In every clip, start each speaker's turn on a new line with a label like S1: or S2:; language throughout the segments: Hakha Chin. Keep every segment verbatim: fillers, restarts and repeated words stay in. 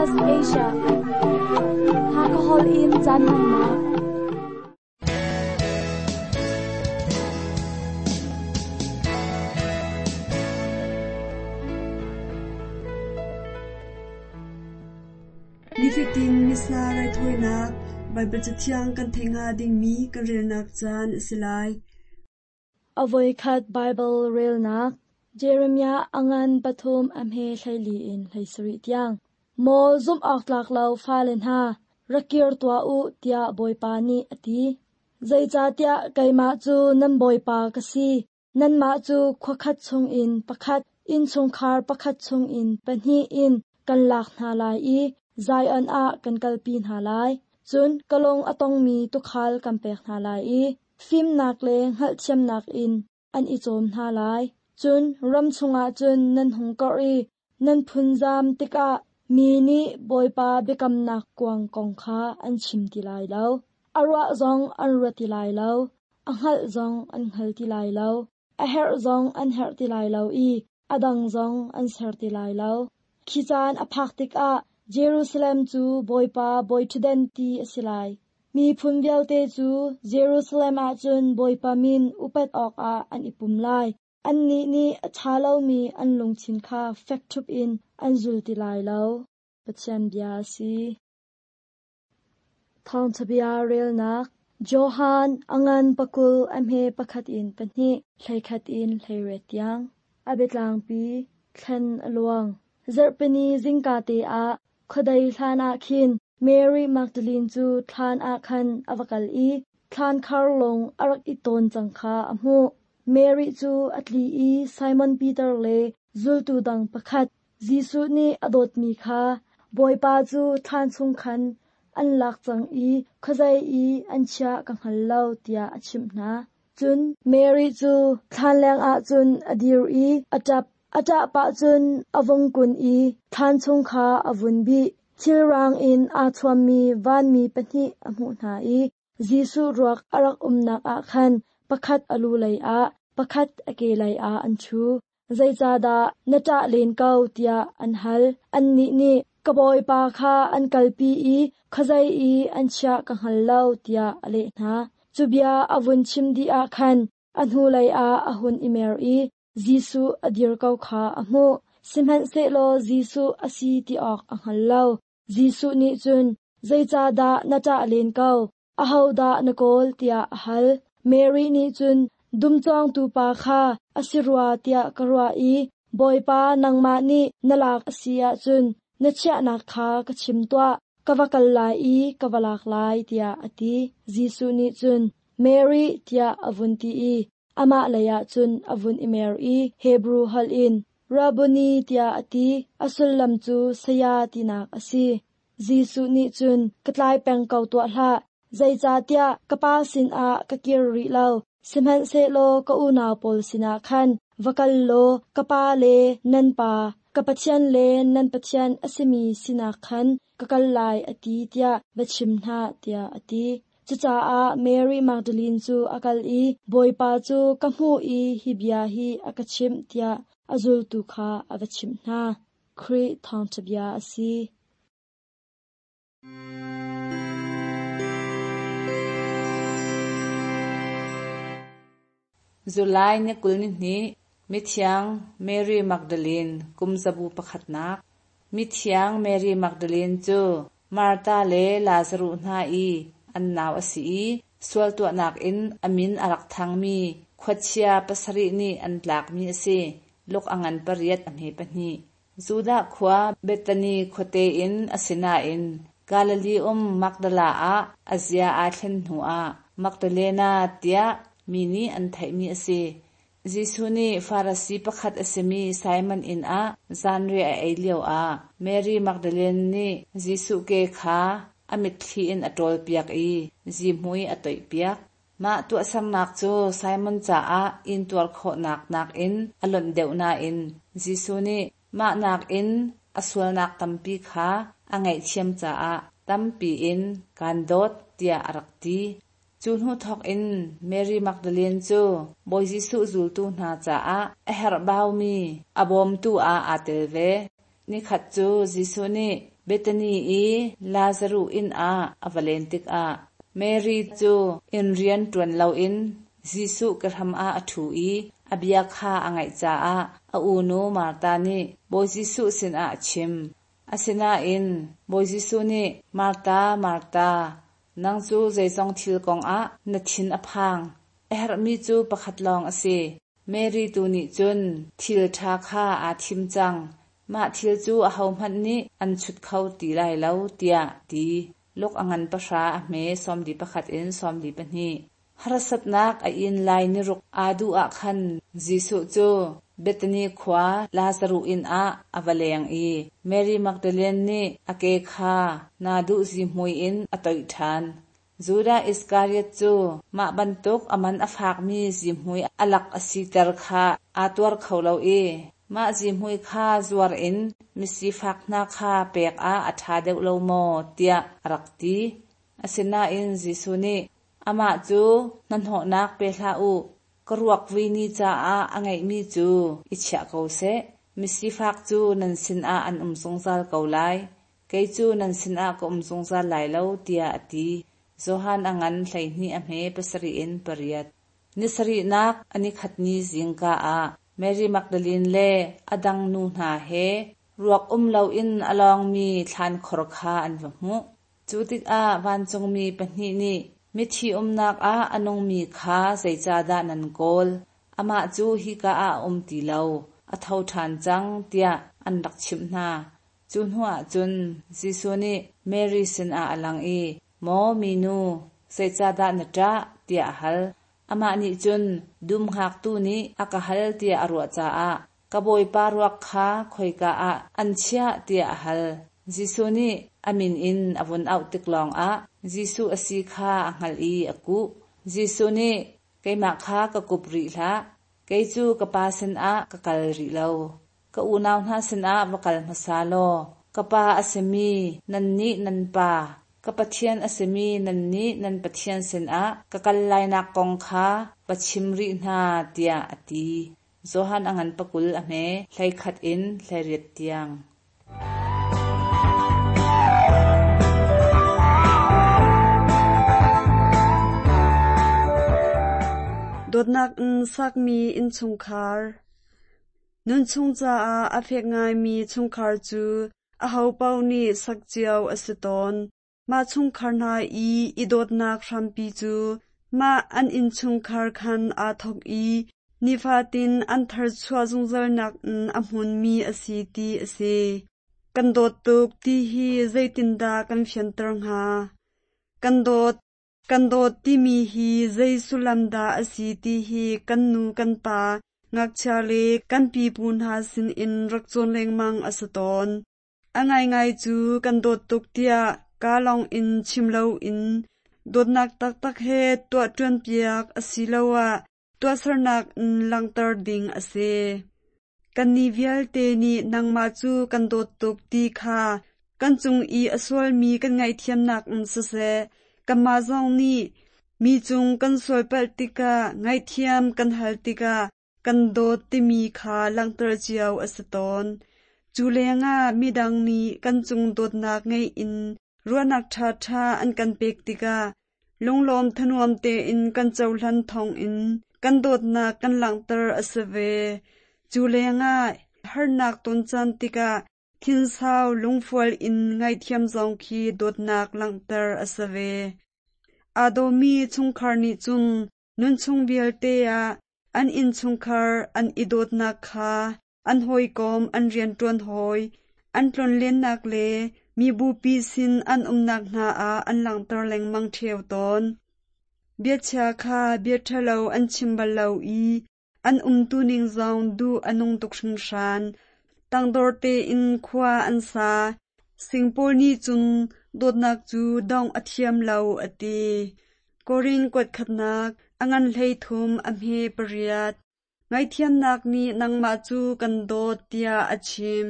S1: S P S Asia. Hakahol in caan hmannak.
S2: Nifatin Missa raithawinak Baibal Cathiang kan theih hnga dingmi kan relnak caan a si lai.
S1: Avoikhat Bible relnak Jeremiah angan pathum amhe hlaili in hleisarih tiang. Maw zumh awk tlak lo fale hna, rakir tuah u tiah Bawipa nih a ti. Zeicahtiah keimah cu nan Bawipa ka si. Nanmah cu khuakhat chungin pakhat, innchungkhar pakhat chungin pahnih in kan lak hna lai i Zion ah kan kalpi hna lai. Cun ka lung a tongmi tuukhal kan pek hna lai i fimnak le hngalhthiamnak in an i cawm hna lai. Cun ram chungah cun nan hung karh i nan phunzam tikah mi nih Bawipa biakamnak kuang kong kha an chim ti lai lo. A ruah zong an ruat ti lai lo. A hngalh zong an hngal ti lai lo. A herh zong an herh ti lai lo i a dang zong an ser ti lai lo. Khi caan a phak tikah Jerusalem cu Bawipa bawiṭhutdan ti a si lai. Miphun vialte cu Jerusalem ah cun Bawipa min upat awkah an i pum lai. Annih nih a ṭha lomi an lungthin kha fek ṭhup in an zul ti lai lo. Pathian bia a si. Thawngṭha bia relnak Johan angan pakul a hme pakhat in pahnih hleikhat in hleiriat tiang. A biatlangpi thlen a luang. Zarhpini zingka te ah khuadei hlan ah khin Mary Magdalene cu thlan ah khan a va kal i thlan khar lung a rak i tawn cang kha a hmuh. Mary cu a tli i Simon Peter le zultu dang pakhat Jesuh nih a dawtmi kha Bawipa cu thlan chung khan an lak cang i khuazei i an chiah ka hngal lo tiah a chimh hna. Cun Mary cu thlan lengah cun a dir i a ṭap. A ṭah pah cun a vung kun i thlan chung kha a vun bih. Thilrang in aa thuammi vanmi pahnih a hmuh hna i Jesuh ruak a rak umnak ah khan pakhat a lu lei ah, pakhat a ke lei ah an ṭhu. Zeicahdah na ṭah len ko tiah an hal. Annih nih ka Bawipa kha an kalpi i khuazei i an chiah ka hngal lo tiah a leh hna. Cu bia a vun chim dih ah khan a hnulei ah a hun i mer i Jesuh a dir ko kha a hmuh. Sihmanhsehlaw Jesuh a si ti awk a hngal lo. Jesuh nih cun, zeicahdah na ṭah len ko? Ahodah na kawl tiah a hal. Mary nih cun, dumcawngtu pa kha a si rua tiah ka ruah i, Bawipa nangmah nih na lak a si ahcun na chiahnak kha ka chim tuah, ka va kal lai i ka va lak lai tiah a ti. Jesuh nih cun, Mary tiah a vun ti i, amah leiah cun a vun i mer i Hebrew holh in, Rabboni tiah a ti, a sullam cu saya tinak a si. Jesuh nih cun, ka tlai peng ko tuah hlah, zeicahtiah ka pa sinah ka kir rih lo, sihmanhsehlaw ka unau pawl sinah khan va kal law ka pa le nan pa, ka Pathian le nan Pathian a simi sinah khan ka kal lai a ti tiah va chim hna tiah a ti. Cucaah Mary Magdalene cu a kal i Bawipa cu ka hmuh i hi bia hi a ka chimh tiah a zultu kha a va chimh hna. Khrih thawngṭha bia a si.
S3: July ni kul ni hnih Mithiang Mary Magdalene kum zabu pakhatnak Mithiang Mary Magdalene cu Martha le Lazarus hna i an nau a si i sual tuahnak in a min a rak thangmi khuachia pasarih nih an tlakmi a si. Luk a ngan pariat a hme pahnih. Judah khua Bethany khuate in a si nain Galilee um Magdala ah a zia aa thlen hnuah Magdalena tiah mi nih an theihmi a si. Jesuh nih Farasi pakhat a simi Simon inn ah zanriah a ei lioah Mary Magdalene nih Jesuh ke kha a mitthli in a ṭawlpiak i zihmui a toihpiak. Mah tuahsernak cu Simon caah intuar khawhnak nakin a lonh deuh nain Jesuh nih mah nakin a sualnak tampi kha a ngaihthiam caah tampi in kaan dawt tiah a rak ti. Cu hnu thawk in Mary Magdalene cu Bawi Jesuh zultu hna caah a herhbaumi a bawmtu ah aa tel ve. Nikhat cu Jesuh nih Bethany i Lazaruh inn ah a va len tikah Mary cu inn rian ṭuan loin Jesuh kehram ah a ṭhu i a bia kha a ngaih caah a unu Martha nih Bawi Jesuh sinah a chim. Asinain Bawi Jesuh nih Martha, Martha, nang cu zeizong thil kongah na thin a phang. A herhmi cu pakhat lawng a si. Mary tu nih cun thil ṭha kha aa thim cang. Mah thil cu ahohmanh nih an chut kho ti lai lo, tiah ti. Luk a ngan pahra a hme sawmli pakhat in sawmli pahnih. Harsatnak a in lai niruk aa duh ah khan Jesuh cu Bethany khua Lazaruh inn ah a va leng i Mary Magdalene nih a ke kha naduh zihmui in a toih ṭhan. Judah Iskariot cu mah bantuk a man a fakmi zihmui a lak a siter kha aa tuar kho lo i mah zihmui kha zuar in misifak hna kha pek ah a ṭha deuh lo maw tiah a rak ti. Asinain Jesuh nih amah cu hnahnawhnak pe hlah u, ka ruak vui ni caah a ngeihmi cu i chiah ko seh. Misifak cu nan sinah an um zungzal ko lai. Kei cu nan sinah ka um zungzal lai lo, tiah a ti. Johan a ngan hleihnih a hme pasarih in pariat. Ni sarihnak a nikhat ni zingka ah Mary Magdalene le a dang nu hna he ruak um loin a lawngmi thlankhor kha an va hmuh. Cu tikah vancungmi pahnih nih mithi umnak ah a nungmi kha zeicahdah nan kawl? Amah cu hika ah a um ti lo, a tho ṭhan cang, tiah an rak chimh hna. Cu hnuah cun Jesuh nih Mary sinah a lang i, Maw minu, zeicahdah na ṭah? tiah a hal. Amah nih cun dum hngaktu nih a ka hal tiah a ruah caah ka bawipa ruak kha khoika ah an chiah tiah a hal. Jesuh nih a min in a vun auh tik lawngah Jesuh a si kha a hngalh i a kuh. Jesuh nih keimah kha ka kup rih hlah, kei cu ka pa sinah ka kal rih lo. Ka unau hna sinah va kal hmasa law, ka pa a simi nannih nan pa, ka Pathian a simi nannih nan Pathian sinah ka kal lainak kong kha va chim rih hna, tiah a ti. Johan a ngan pakul a hme hleikhat in hleiriat tiang.
S2: Dawtnak in sakmi innchungkhar. Nunchung caah a fek ngaimi chungkhar cu ahopaoh nih sak cio a si tawn. Mah chungkhar hna i i dawtnak hrampi cu mah an innchungkhar khan aa thawk i nifatin an tharchuah zungzalnak in a hmunmi a si ti a si. Kan dawt tuk ti hi zeitindah kan fianter hnga? Kan dawt, kan dawt timi hi zei sullam dah a si ti hi kan nu kan pa, ngakchia le kan pipu hna sinin rak cawn lengmang a si tawn. A ngaingai cu kan dawt tuk tiah kaa lawng in chim loin dawtnak taktak he tuah ṭuanpiak asiloah tuahsernak in langhter ding a si. Kannih vialte nih nangmah cu kan dawt tuk ti kha kan cung i a sualmi kan ngaihthiamnak in siseh, kanmah zong nih mi cung kan sualpalh tikah ngaihthiam kan hal tikah kan dawt timi kha langhter cio a si tawn. Cu lengah midang nih kan cung dawtnak ngei in ruahnak ṭhaṭha an kan pek tikah lunglawm thanuam tein kan cohlan thawngin kan dawtnak kan langhter a si ve. Cu lengah harnak ton caan tikah thinsau lungfual in ngaihthiam zong khi dawtnak langhter a si ve. Aa dawmi chungkhar nih cun nunchung vialte ah an innchungkhar an i dawtnak kha an hawikom an rianṭuan hawi, an tlonlennak le mibupi sin an umnak hna ah an langhter lengmang ṭheo tawn. Biachia kha bia ṭhalo an chim bal lo i an umtuning zong duh a nung tuk hringhran. Tangdor tein khua an sa. Singpaul nih cun dawtnak cu dongh a thiam lo a ti. Korin kuat khatnak a ngan hleithum a hme pariat. Ngaihthiamnak nih nangmah cu kan dawt tiah a chim.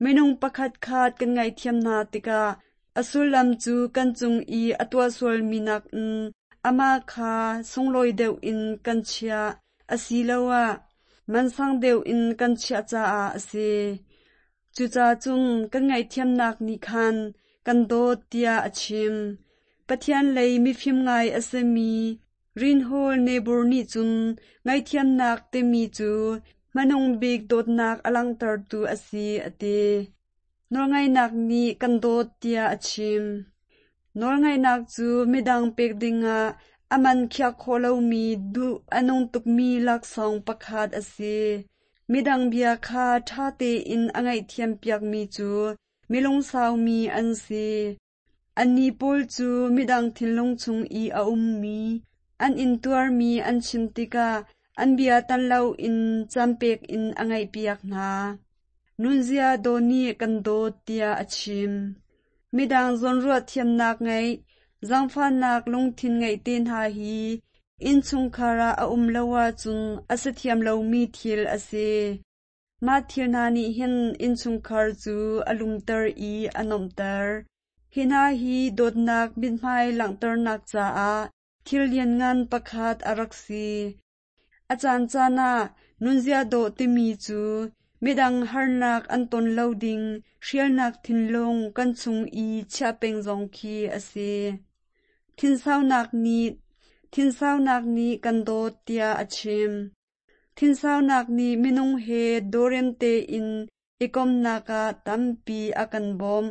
S2: Minung pakhat khat kan ngaihthiam hna tikah a sullam cu kan cung i a tuah sualmi nakin amah kha sunglawi deuh in kan chiah asiloah mansang deuh in kan chiah caah a si. Cucacun kan ngaihthiamnak nih khan kan dawt tiah a chim. Pathian lei mifim ngai a simi Reinhold Niebuhr nih cun ngaihthiamnak timi cu hmanung bik dawtnak a langhtertu a si a ti. Nawlngaihnak nih kan dawt tiah a chim. Nawlngaihnak cu midang pek dingah a man khiah khawh lomi duh a nung tukmi laksawng pakhat a si. Midang bia kha ṭha tein a ngaihthiam piakmi cu mi lungsaumi an si. Annih pawl cu midang thinlung chung i a ummi, an intuarmi an chim tikah an bia tan loin campek in a ngaihpiak hna. Nunzia dawh nih kan dawt tiah a chim. Midang zawnruah thiamnak ngeih, zaangfahnak lungthin ngeih te hna hi innchungkhar ah a um lo ahcun a si thiam lomi thil a si. Mah thil hna nih hin innchungkhar cu a lumter i a nuamhter. Hi hna hi dawtnak mithmai langhternak caah thil lianngan pakhat a rak si. A caancaan ah nunzia dawh timi cu midang harnak an ton lo ding hrialnak thinlung kan chung i chiah peng zong khi a si. Thinsaunak nih thinsaunak nih kan dawt tiah a chim. Thinsaunak nih minung he dawrem tein i komhnak ah tampi a kan bawmh.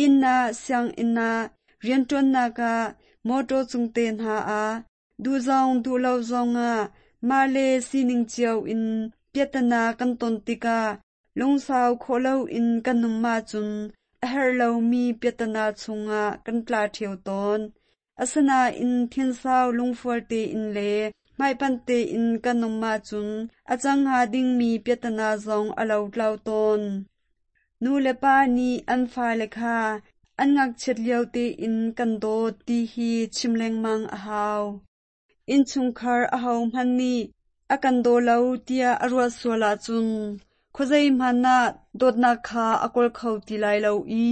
S2: Inn ah, sianginn ah, rianṭuannak ah, mawṭaw cung te hna ah, duh zong duh lo zongah mah le sining cio in piahtana kan ton tikah lungsau khawh loin kan um ahcun a herh lomi piahtana chungah kan tla ṭheo tawn. Asinain thinsau lungfual tein le hmaipanh tein kan um ahcun a cang hnga dingmi piahtana zong a lotlau tawn. Nu le pa nih an fale kha an ngakchiat lio tein kan dawt ti hi chim lengmang a hau. Innchungkhar ahohmanh nih a kan daw lo tiah a ruah sual ahcun khuazei hmanh ah dawtnak kha a kawl kho ti lai lo i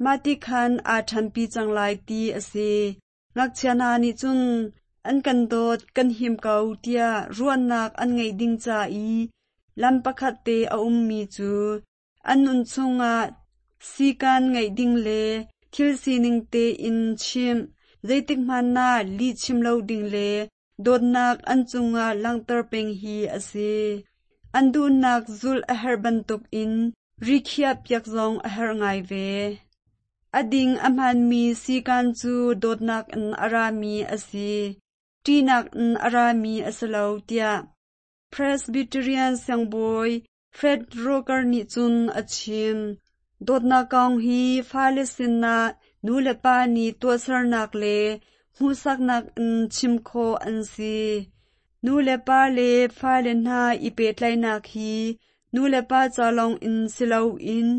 S2: mah ti khan aa ṭhanpi cang lai ti a si. Ngakchia hna nih cun an kan dawt kan him ko tiah ruahnak an ngeih ding ca i lam pakhat te a ummi cu an nun chungah sikan ngeih ding le thil sining tein chimh, zeitik hmanh ah lih chim lo ding le dawtnak an cungah langhter peng hi a si. An duhnak zulh a herh bantukin rikhiah piak zong a herh ngai ve. A ding a hmaanmi sikan cu dawtnak in a rami a si, ṭihnak in a rami a si lo tiah Presbyterian siangbawi Fred Roker nih cun a chim. Dawtnak kong hi fale sinah nu le pa nih tuahsernak le hmuhsaknak in chim khawh an si. Nu le pa le fale hna i pehtlaihnak hi nu le pa ca lawng in si loin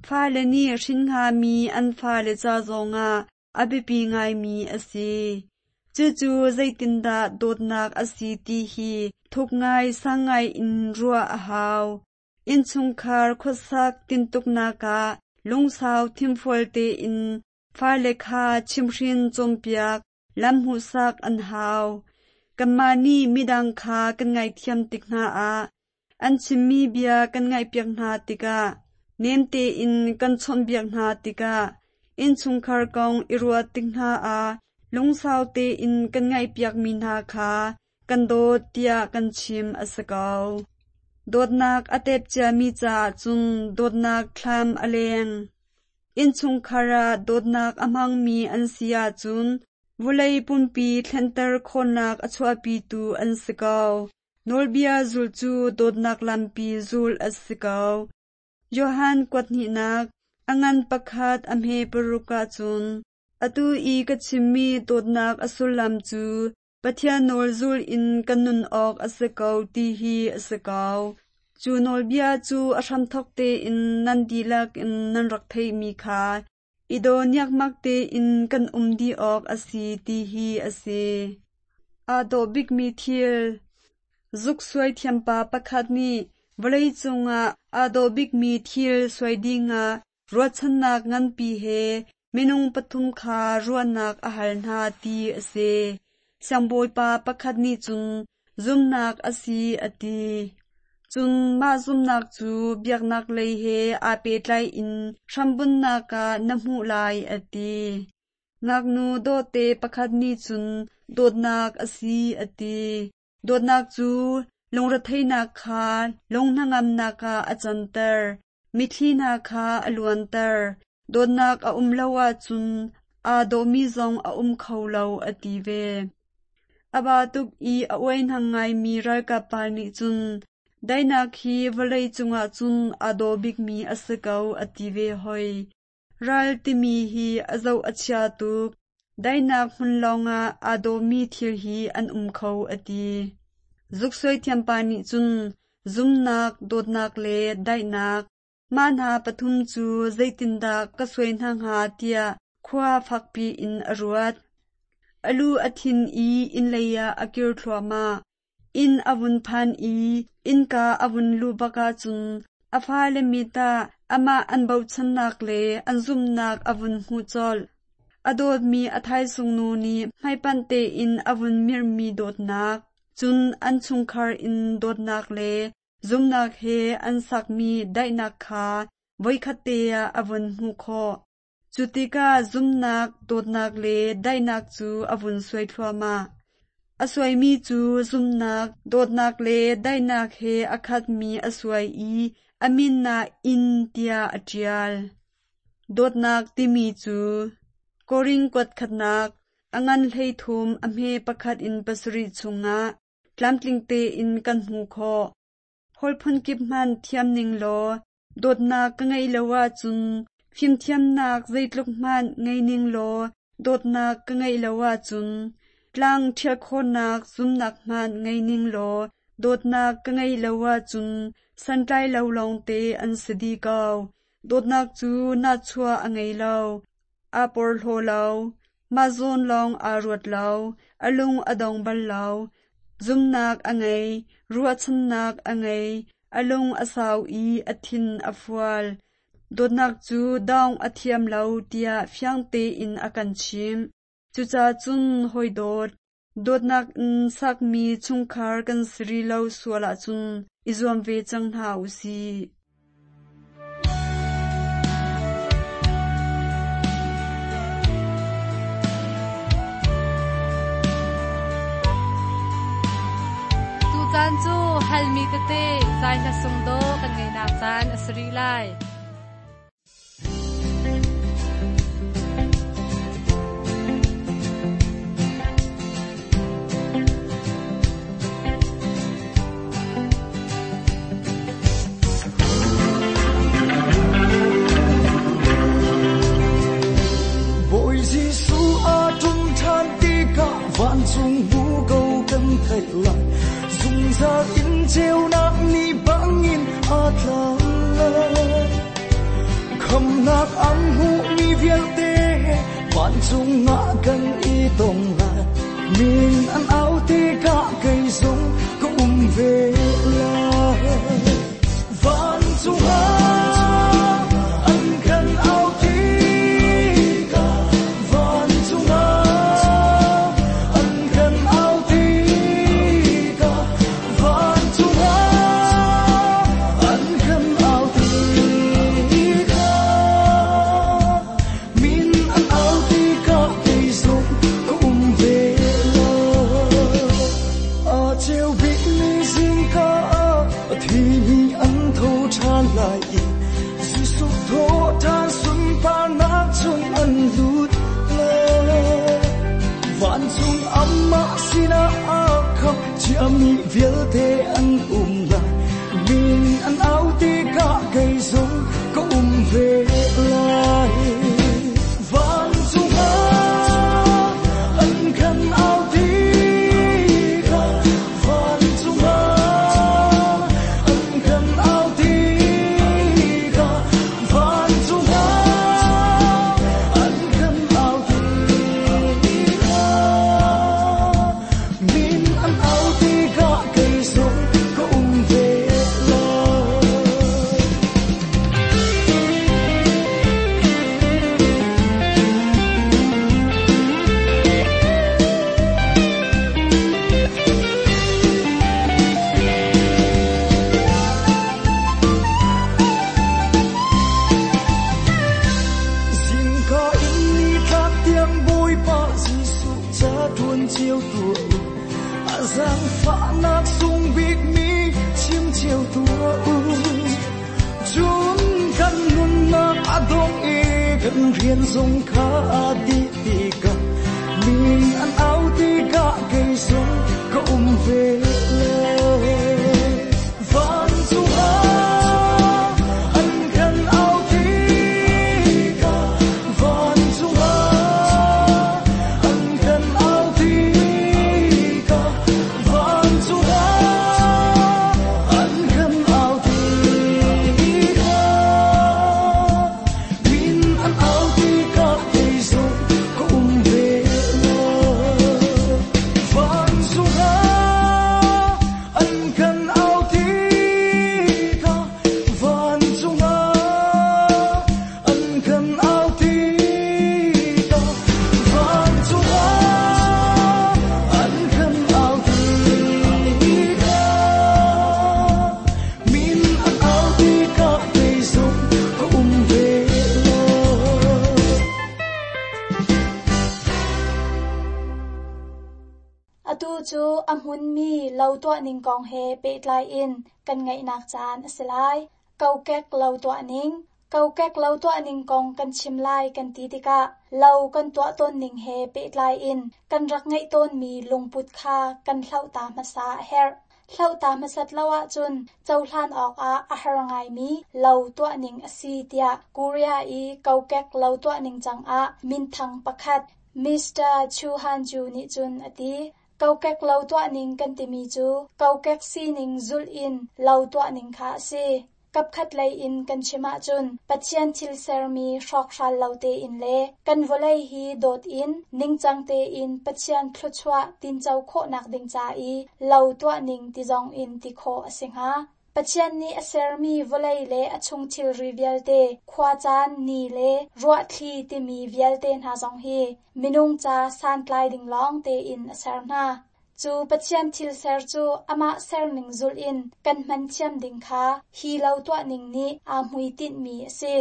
S2: fale nih hrin hngami an fale ca zongah a biapi ngaimi a si. Cucu zeitindah dawtnak a si ti hi thuk ngai sang ngai in ruah a hau. Innchungkhar khuasak tintuknak ah lungsau thimfual tein fale kha chimhrin cawnpiak lam hmuhsak an hau. Kanmah nih midang kha kan ngaihthiam tik hna ah an chimmi bia kan ngaihpiak hna tikah nem tein kan chawnhbiak hna tikah innchungkhar kong i ruah tik hna ah lungsau tein kan ngaihpiakmi hna kha kan dawt tiah kan chim a si ko. Dawtnak a tep ciami caah cun dawtnak thlam a leng. Innchungkhar ah dawtnak a hmangmi an si ahcun vawlei pumpi thlenter khawhnak a chuahpitu an si ko. Nawlbia zulh cu dawtnak lampi zulh a si ko. Johan kuathnihnak a ngan pakhat a hme paruk ahcun atu i ka chimmi dawtnak a sullam cu Pathian nawl zul in kan nun awk a si ko ti hi a si ko. Cu nawlbia cu a hramthawk tein nan dihlak in nan rak theihmi kha i daw niakmak tein kan um dih awk a si ti hi a si. Aa dawh bikmi thil Zuk suai thiampa pakhat nih vawlei cungah aa dawh bikmi thil suai dingah ruahchannak nganpi he minung pathum kha ruahnak a hal hna ti a si. Siangbawipa pakhat nih cun zumnak a si a ti. Cun mah zumhnak cu biaknak lei he aa pehtlai in hrambunhnak ah na hmuh lai a ti. Ngaknu dawhte pakhat nih cun dawtnak a si a ti. Dawtnak cu lungretheihnak kha lunghnangamnak ah a canter. Mitthli hna kha a luanter. Dawtnak a um lo ahcun aa dawhmi zong a um kho lo a ti ve. A ba tuk i a uaihnang ngaimi ralkap pa nih cun daihnak hi vawlei cungah cun aa dawh bikmi a si ko a ti ve hoi. Ral timi hi a zoh a chia tuk. Daihnak hmun lawngah aa dawhmi thil hi an um kho a ti. Zuksuai thiampa nih cun zumnak, dawtnak le daihnak mah hna pathum cu zeitindah ka suai hna hnga tiah khua fakpi in a ruat. A lu a thin i inn lei ah a kir thluahmah. Inn a vun phan i innka a vun luh bak ahcun a fale mit ah amah an bochannak le an zumhnak a vun hmuh colh. A dawtmi a thaisung nu nih hmaipanh tein a vun mirhmi dawtnak, cun an chungkhar in dawtnak le zumhnak he an sakmi daihnak kha voikhat te ah a vun hmuh khawh. Cu tikah zumhnak, dawtnak le daihnak cu a vun suai thluahmah. A suaimi cu zumhnak, dawtnak le daihnak he a khatmi a suai i a min ah inn tiah a ṭial. Dawtnak timi cu Korin kuat khatnak, a ngan hleithum a hme pakhat in pasarih chungah tlamtling tein kan hmuh khawh. Holh phunkip hmanh thiam ning law dawtnak ka ngeih lo ahcun fimthiamnak zeitluk hmanh ngei ning law dawtnak ka ngeih lo ahcun tlang ṭhial khawhnak zumnak hmanh ngei ning law dawtnak ka ngeih lo ahcun santlai lo lawngte an si dih ko. Dawtnak cu nahchuah a ngei lo, aa porhlaw lo, mah zawn lawng aa ruat lo, a lung a dong bal lo. Zumnak a ngei, ruahchannak a ngei, a lung a sau i a thin a fual. Dawtnak cu dawng a thiam lo tiah fiang tein a kan chimh. Cucaah cun hawi dawt, dawtnak in sakmi chungkhar kan si rih lo sual ahcun i zuam ve cang hna u sih.
S3: Tucaan cu halmi tete zai hla sung dawh kan ngeihnak caan a si rih lai.
S4: Bawi Jesuh a ṭum ṭhan tikah vancung bu ko kan theih lai. Zungzal in ceunak ni bangin a tla lai. Khamnak an hmuhmi vialte vancung ah kan i tong lai. Min an au tikah kei zong ka um ve lai. Vancung ah an kan au tikah, vancung ah an kan au tikah, vancung ah an kan au tikah, min an au tikah kei zong ka um ve lai. A ceu bikmi zingka ah a thimi an tho ṭhan lai i Jesuh tho ṭhan sunparnak chung an lut lai. Vancung amah sinah a khamh ciami vialte an um lai. Min an au tikah kei zong ka um ve lai. Vancung ah an kan au tikah, vancung ah an kan au tikah, vancung ah an kan au tikah, min an au tikah kei zong ka um Zaangfahnak sung bik mi chim cio tuah u. Cun kan nunnak a dong i kan rian zong kha a dih tikah min an au tikah kei zong ka um ve lo. Vancung ah an kan au tikah, vancung ah an kan au tikah, vancung ah an kan au tikah, min an au tikah kei zong ka um ve lo. Vancung ah an kan au tikah, vancung ah an kan au tikah, vancung ah an kan au tikah, min an au tikah kei zong ka um ve lo.
S5: Atu cu a hmunmi lo tuah ning kong he pehtlai in kan ngaihnak caan a si lai. Kokek lo tuah ning. Kokek lo tuah ning kong kan chim lai kan ti tikah lo kan tuah tawn ning he pehtlai in kan rak ngaih tawnmi lungput kha kan hloh ta hmasa a herh. Hloh ta hmasat lo ahcun cohlan awkah a har ngaimi lo tuah ning a si tiah Korea i kokek lo tuah ning cangah minthang pakhat Mister Chu Han Ju nih cun a ti. Kokek lo tuah ning kan timi cu kokek sining zulh in lo tuah ning kha a si. Kapkhat lei in kan chim ahcun Pathian thil sermi hrawkhral lo tein le kan vawlei hi dawt in ningcang tein Pathian thluachuah tinco khawhnak ding ca i lo tuah ning ti zong in ti khawh a si hnga. Pathian nih a sermi vawlei le a chung thilri vialte, khuacaan, ni le ruahthli timi vialte hna zong hi minung ca santlai ding lawng tein a ser hna. Cu Pathian thil ser cu amah serning zulh in kan hman thiam ding kha hi lo tuah ning nih aa hmuitinhmi a si.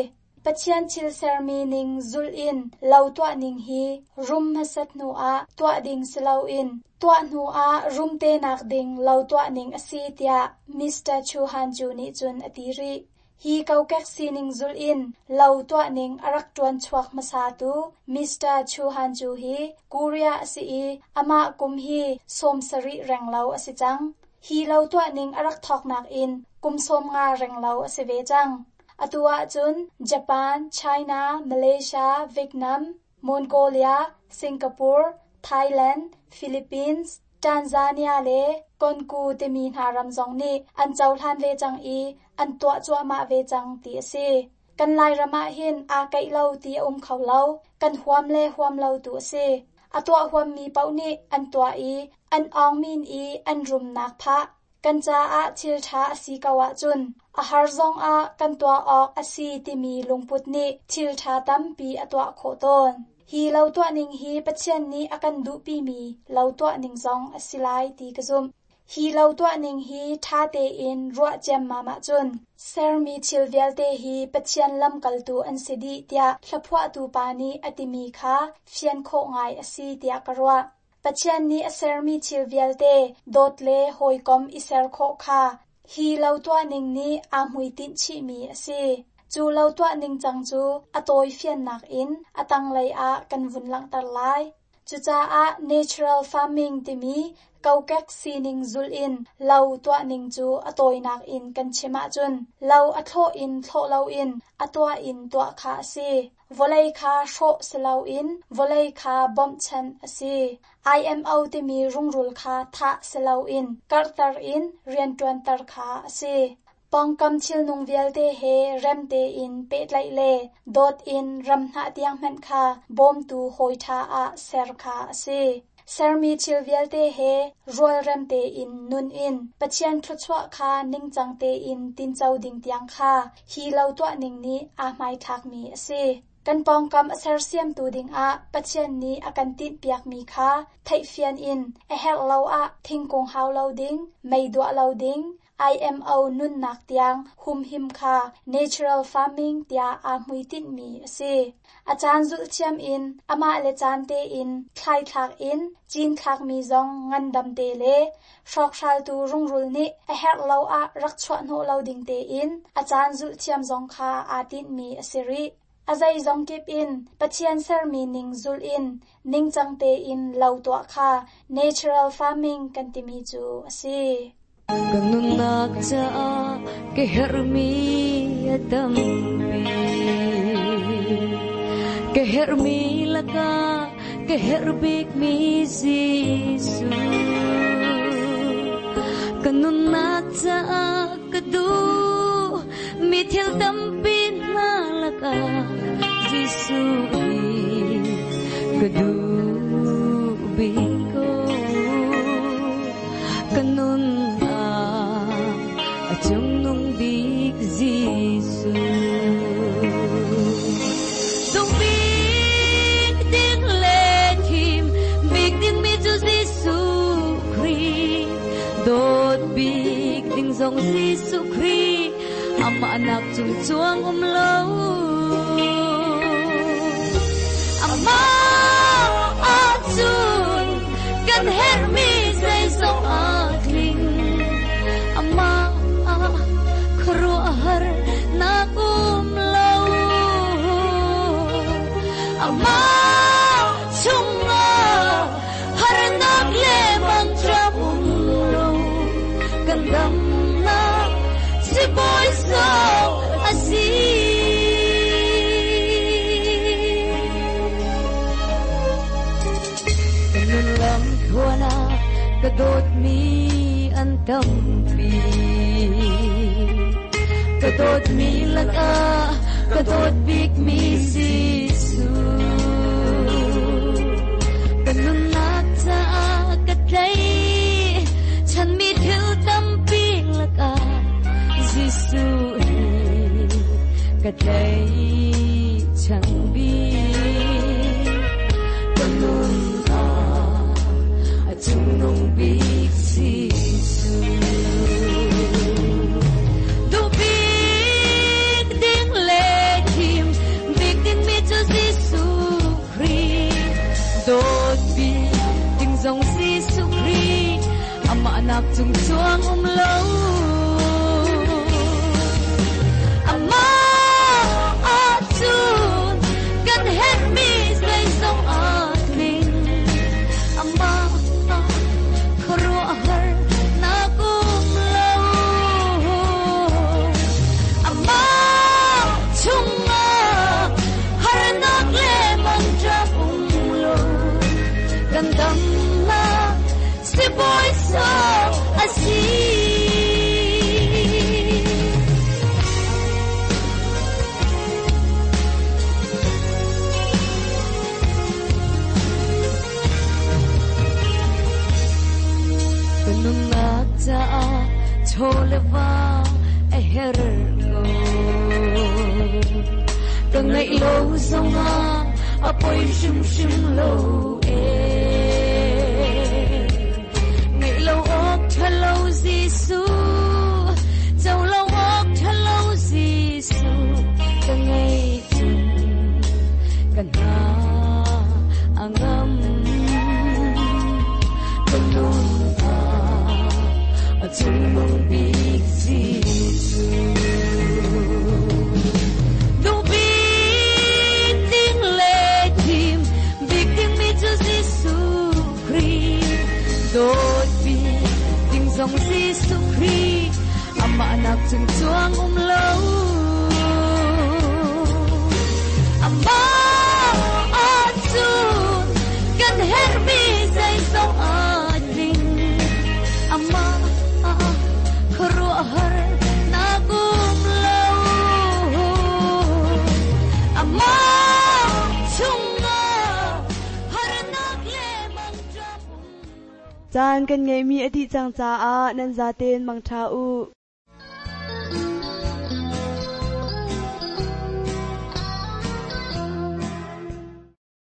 S5: Pathian thil sermi ning zulh in lo tuah ning hi rum hmasat hnu ah tuah ding si loin tuah hnu ah rum te nak ding lo tuah ning a si tiah Mister Chu Han Ju nih cun a ti rih. Hi kokek sining zulh in lo tuah ning a rak ṭuan chuak hmasa tu Mister Chu Han Ju hi Korea a si i amah kum hi sawm sarih reng lo a si cang. Hi lo tuah ning a rak thawknak in kum sawm nga reng lo a si ve cang. Atu ahcun Japan, China, Malaysia, Vietnam, Mongolia, Singapore, Thailand, Philippines, Tanzania le Konku timi hna ram zong nih an cohlan ve cang i an tuah cuahmah ve cang ti a si. Kan Lairam ah hin aa keih lo ti a um kho lo, kan huam le huam lo tu a si. A tuah huammi paoh nih an tuah i an awngmin i an rumnak phah. Kan caah thil ṭha a si ko ahcun a har zong ah kan tuah awk a si timi lungput nih thil ṭha tampi a tuah khawh tawn. Hi lo tuah ning hi Pathian nih a kan duhpimi lo tuah ning zong a si lai ti ka zumh. Hi lo tuah ning hi ṭha tein ruah ciammam ahcun sermi thil vialte hi Pathian lamkaltu an si dih tiah hlaphuahtu pa nih a timi kha fian khawh ngai a si tiah ka ruah. Pathian nih a sermi thil vialte dawt le hawikom i ser khawh kha hi lo tuah ning nih aa hmuitinh chihmi a si. Cu lo tuah ning cang cu a tawi fiannak in a tanglei ah kan vun langhter lai. Cucaah natural farming timi kokek sining zulh in lo tuah ning cu a tawinak in kan chim ahcun lo a thlawh in thlawh loin a tuah in tuah kha a si. Vawlei kha hrawh si loin vawlei kha bawmhchanh a si. I M O timi rungrul kha thah si loin karhter in rianṭuanter kha a si. Pawngkam thilnung vialte he rem tein pehtlaih le dawt in ram hnah tiang hmanh kha bawmtu hawi ṭha ah ser kha a si. Sermi thil vialte he rualrem tein nun in Pathian thluachuah kha ningcang tein tinco ding tiang kha hi lo tuah ning nih aa hmaithlakmi a si. Kan pawngkam a sersiamtu dingah Pathian nih a kan tinhpiakmi kha theihfian in a herh lo ah thingkung hau lo ding, mei duah lo ding, I M O nunnak tiang humhim kha natural farming tiah aa hmuitinhmi a si. A caan zulh thiam in amah le caan tein thlaithlak in cinthlakmi zong ngandam te le hrawkhraltu rungrul nih a herh lo ah rak chuah hnawh lo ding tein a caan zulh thiam zong kha aa tinhmi a si rih. A zeizong kip in Pathian sermi ning zulh in ningcang tein lo tuah kha natural farming kan timi cu a si.
S6: Ka nunnak caah ka herhmi a tampi. Ka herhmi lakah ka herh bikmi Jesuh. Ka nunnak caah ka duh mi thil tampi hna lakah Jesuh hi ka duh bik ko. Ka nun ah a cungnung bik Jesuh. Duh bik ding le thim bik ding mi cu Jesuh Khrih. Dawt bik ding zong Jesuh Khrih. Amah nak cung cuang um lo. Amah ahcun kan herhmi zeizong a tling. Amah ah khuaruahhar nak um lo. Amah chungah harnak le mangṭam um lo. Kan damnak si Bawi zong a si. Ka nun lam thluan ah ka dawtmi an tampi. Ka dawtmi lakah ka dawt bikmi Jesuh. Ka nunnak caah ka tlaih chanmi thil tampi lakah Jesuh hi ka tlaih chan bik. Ka nun ah a cungnung bik Jesuh. Duh bik ding le thim bik ding mi cu Jesuh Khrih. Dawt bik ding zong Jesuh Khrih. Amah nak cung cuang um lo. Amah ahcun kan herhmi zeizong a tling. Amah ah khuaruahhar nak um lo. Amah chungah harnak le mangṭam um lo. Kan damnak si Bawi zong a si. Ka nunnak caah chaw le va a herh ko. Ka ngeih lo zongah a poi hrimhrim lo eh. Ngeih lo awk ṭha lo Jesuh, co lo awk ṭha lo Jesuh, ka ngeih cun ka hna a ngam. Ka nun ah a cungnung bik Jesuh. Duh bik ding le thim bik ding mi cu Jesuh Khrih. Dawt bik ding zong Jesuh Khrih. Amah nak cung cuang um lo. Amah ahcun kan herhmi zeizong a tling. Amah ah khuaruahhar nak um lo. Amah chungah harnak le mangṭam um lo.
S2: Caan kan ngeihmi a dih cang caah nan zaten mangṭha u.